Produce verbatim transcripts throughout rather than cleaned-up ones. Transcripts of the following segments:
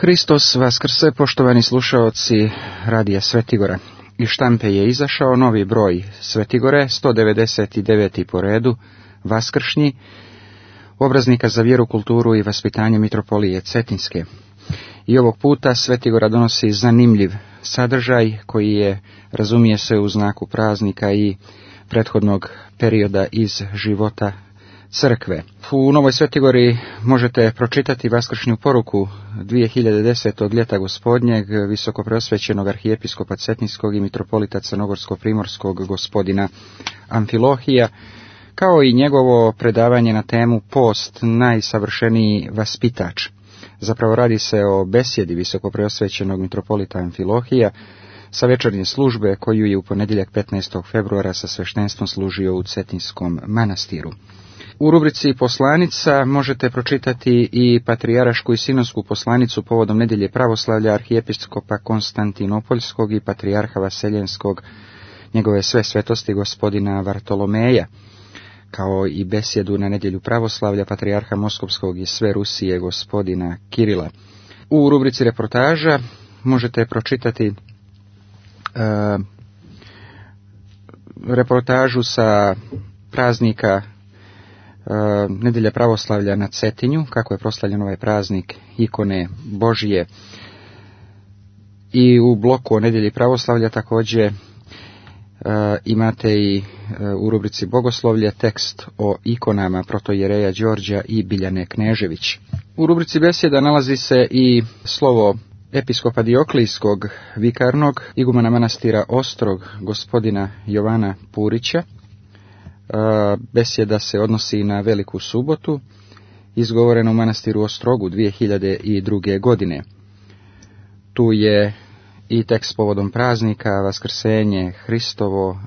Hristos vaskrse, poštovani slušaoci Radija Svetigora. Iz štampe je izašao novi broj Svetigore, sto devedeset devet. po redu, vaskršnji, obraznika za vjeru, kulturu i vaspitanje mitropolije Cetinske. I ovog puta Svetigora donosi zanimljiv sadržaj koji je, razumije se, u znaku praznika i prethodnog perioda iz života crkve. U Novoj Svetigori možete pročitati vaskršnju poruku dvije hiljade desete. od ljeta gospodnjeg visokopreosvećenog arhijepiskopa Cetinskog i mitropolita crnogorsko-primorskog gospodina Amfilohija, kao i njegovo predavanje na temu Post, najsavršeniji vaspitač. Zapravo radi se o besjedi visokopreosvećenog mitropolita Amfilohija sa večernje službe koju je u ponedjeljak petnaestog februara sa sveštenstvom služio u Cetinskom manastiru. U rubrici Poslanica možete pročitati i patrijarašku i sinonsku poslanicu povodom nedjelje pravoslavlja arhijepiskopa Konstantinopoljskog i patrijarha Vaseljenskog, njegove sve svetosti gospodina Vartolomeja, kao i besjedu na nedjelju pravoslavlja patrijarha Moskovskog i sve Rusije gospodina Kirila. U rubrici reportaža možete pročitati uh, reportažu sa praznika Uh, nedjelja pravoslavlja na Cetinju, kako je proslavljen ovaj praznik ikone Božije. I u bloku o nedjelji pravoslavlja također uh, imate i uh, u rubrici Bogoslovlje tekst o ikonama protojereja Đorđa i Biljane Knežević. U rubrici besjeda nalazi se i slovo episkopa Dioklijskog vikarnog igumana manastira Ostrog gospodina Jovana Purića. Besjeda se odnosi na Veliku subotu, izgovorena u manastiru Ostrogu dvije hiljade druge. godine. Tu je i tekst povodom praznika Vaskrsenje Hristovo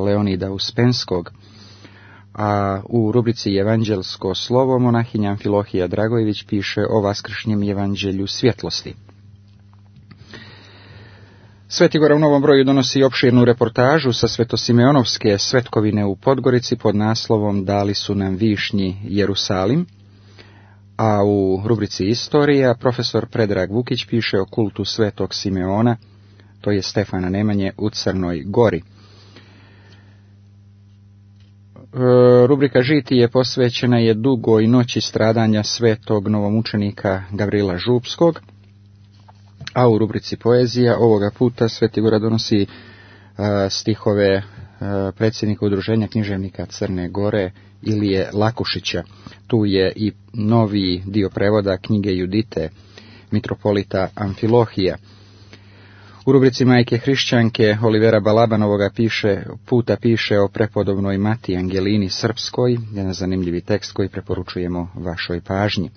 Leonida Uspenskog, a u rubrici Evanđelsko slovo monahinja Amfilohija Dragojević piše o vaskršnjem evanđelju svjetlosti. Svetigora u novom broju donosi opširnu reportažu sa Svetosimeonovske svetkovine u Podgorici pod naslovom Dali su nam višnji Jerusalim, a u rubrici Istorija profesor Predrag Vukić piše o kultu svetog Simeona, to je Stefana Nemanje u Crnoj Gori. Rubrika Žitije posvećena je dugoj noći stradanja svetog novomučenika Gavrila Župskog, a u rubrici Poezija ovoga puta Svetigora donosi uh, stihove uh, predsjednika udruženja književnika Crne Gore Ilije Lakušića. Tu je i novi dio prevoda knjige Judite mitropolita Amfilohija. U rubrici Majke hrišćanke Olivera Balabanovoga piše, puta piše o prepodobnoj Mati Angelini Srpskoj, jedan zanimljivi tekst koji preporučujemo vašoj pažnji.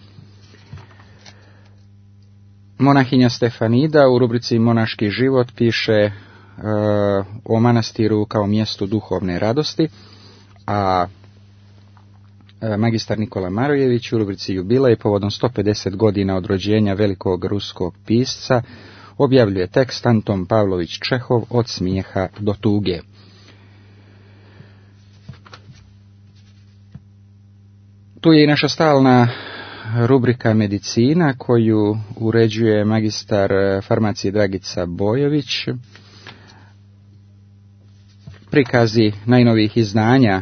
Monahinja Stefanida u rubrici Monaški život piše uh, o manastiru kao mjestu duhovne radosti, a uh, magistar Nikola Marojević u rubrici Jubilej povodom sto pedeset godina od rođenja velikog ruskog pisca objavljuje tekst Anton Pavlović Čehov Od smijeha do tuge. Tu je i naša stalna rubrika Medicina koju uređuje magistar farmacije Dragica Bojović. Prikazi najnovijih izdanja e,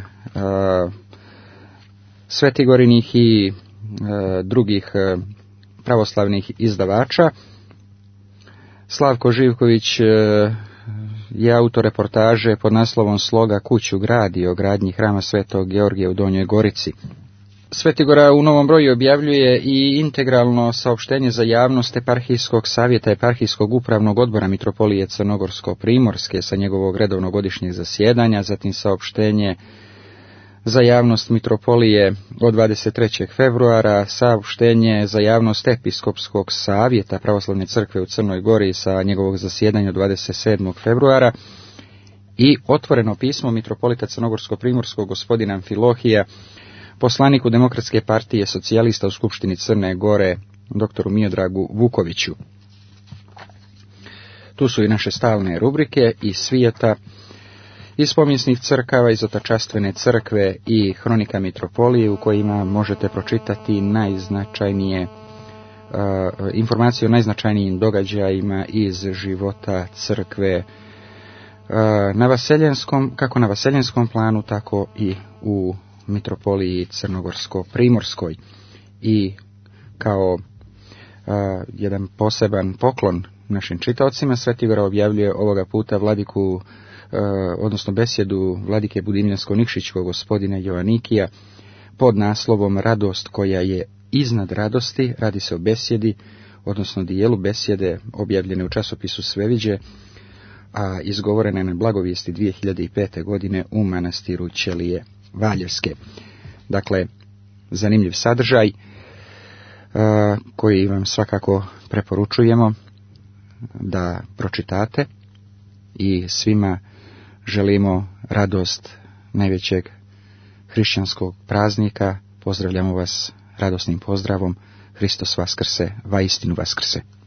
svetigorinih i e, drugih e, pravoslavnih izdavača. Slavko Živković e, je autor reportaže pod naslovom Sloga kuću gradi o gradnji hrama Svetog Georgija u Donjoj Gorici. Svetigora u novom broju objavljuje i integralno saopštenje za javnost Eparhijskog savjeta Eparhijskog upravnog odbora mitropolije Crnogorsko-primorske sa njegovog redovnog godišnjeg zasjedanja, zatim saopštenje za javnost mitropolije od dvadeset trećeg februara, saopštenje za javnost Episkopskog savjeta Pravoslavne crkve u Crnoj Gori sa njegovog zasjedanja od dvadeset sedmog februara i otvoreno pismo mitropolita Crnogorsko-primorskog gospodina Amfilohija poslaniku Demokratske partije socijalista u Skupštini Crne Gore, doktoru Miodragu Vukoviću. Tu su i naše stalne rubrike iz svijeta, iz povijesnih crkava, iz Otačastvene crkve i Hronika mitropolije, u kojima možete pročitati najznačajnije informacije o najznačajnijim događajima iz života crkve na vaseljenskom, kako na vaseljenskom planu, tako i u mitropoliji Crnogorsko-primorskoj. I kao a, jedan poseban poklon našim čitaocima, Sveti Igor objavljuje ovoga puta vladiku, a, odnosno besjedu vladike Budimljansko-Nikšićkog gospodina Jovanikija pod naslovom Radost koja je iznad radosti. Radi se o besjedi, odnosno dijelu besjede objavljene u časopisu Sveviđe, a izgovorene na blagovijesti dvije hiljade pete. godine u manastiru Ćelije Valjevske. Dakle, zanimljiv sadržaj a, koji vam svakako preporučujemo da pročitate i svima želimo radost najvećeg hrišćanskog praznika. Pozdravljamo vas radosnim pozdravom. Hristos Vaskrse, vaistinu Vaskrse.